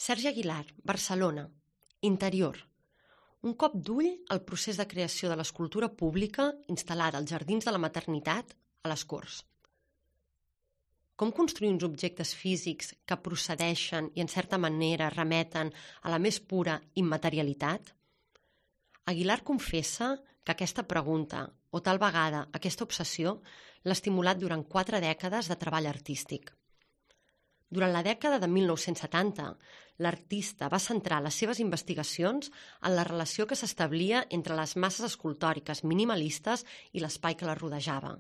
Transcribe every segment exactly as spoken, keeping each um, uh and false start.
Sergi Aguilar, Barcelona. Interior. Un cop d'ull al procés de creació de l'escultura pública instal·lada als Jardins de la Maternitat, a les Corts. Com construir uns objectes físics que procedeixen i en certa manera remeten a la més pura immaterialitat? Aguilar confessa que aquesta pregunta, o tal vegada aquesta obsessió, l'ha estimulat durant quatre dècades de treball artístic. Durant la dècada de mil nou-cents setanta, l'artista va centrar les seves investigacions en la relació que s'establia entre les masses escultòriques minimalistes i l'espai que les rodejava.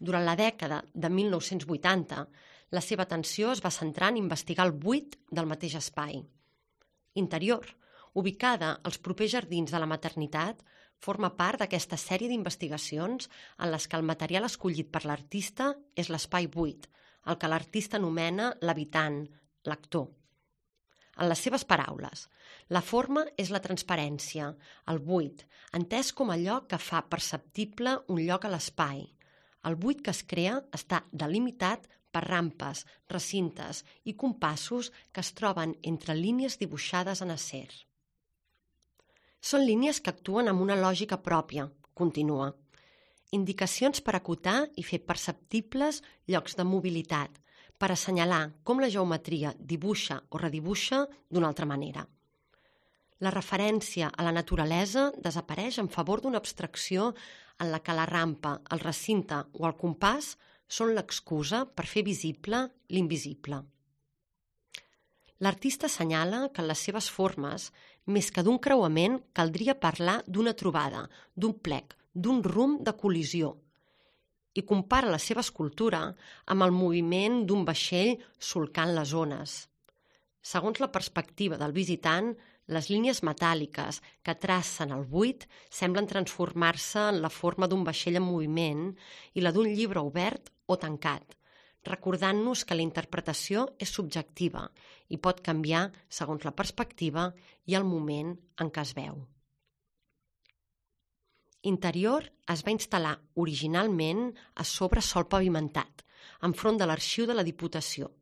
Durant la dècada de mil nou-cents vuitanta, la seva atenció es va centrar en investigar el buit del mateix espai. Interior, ubicada als propers jardins de la Maternitat, forma part d'aquesta sèrie d'investigacions en les que el material escollit per l'artista és l'espai buit, el que l'artista anomena l'habitant, l'actor. En les seves paraules, la forma és la transparència, el buit, entès com allò que fa perceptible un lloc a l'espai. El buit que es crea està delimitat per rampes, recintes i compassos que es troben entre línies dibuixades en acer. Són línies que actuen amb una lògica pròpia, continua. Indicacions per acotar i fer perceptibles llocs de mobilitat, per assenyalar com la geometria dibuixa o redibuixa d'una altra manera. La referència a la naturalesa desapareix en favor d'una abstracció en la que la rampa, el recinte o el compàs són l'excusa per fer visible l'invisible. L'artista assenyala que en les seves formes, més que d'un creuament, caldria parlar d'una trobada, d'un plec, d'un rumb de col·lisió, i compara la seva escultura amb el moviment d'un vaixell solcant les ones. Segons la perspectiva del visitant, les línies metàl·liques que tracen el buit semblen transformar-se en la forma d'un vaixell en moviment i la d'un llibre obert o tancat, recordant-nos que la interpretació és subjectiva i pot canviar segons la perspectiva i el moment en què es veu. Interior es va instal·lar originalment a sobre sòl pavimentat, enfront de l'arxiu de la Diputació,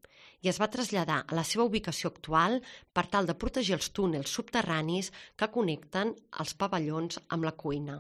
i es va traslladar a la seva ubicació actual per tal de protegir els túnels subterranis que connecten els pavellons amb la cuina.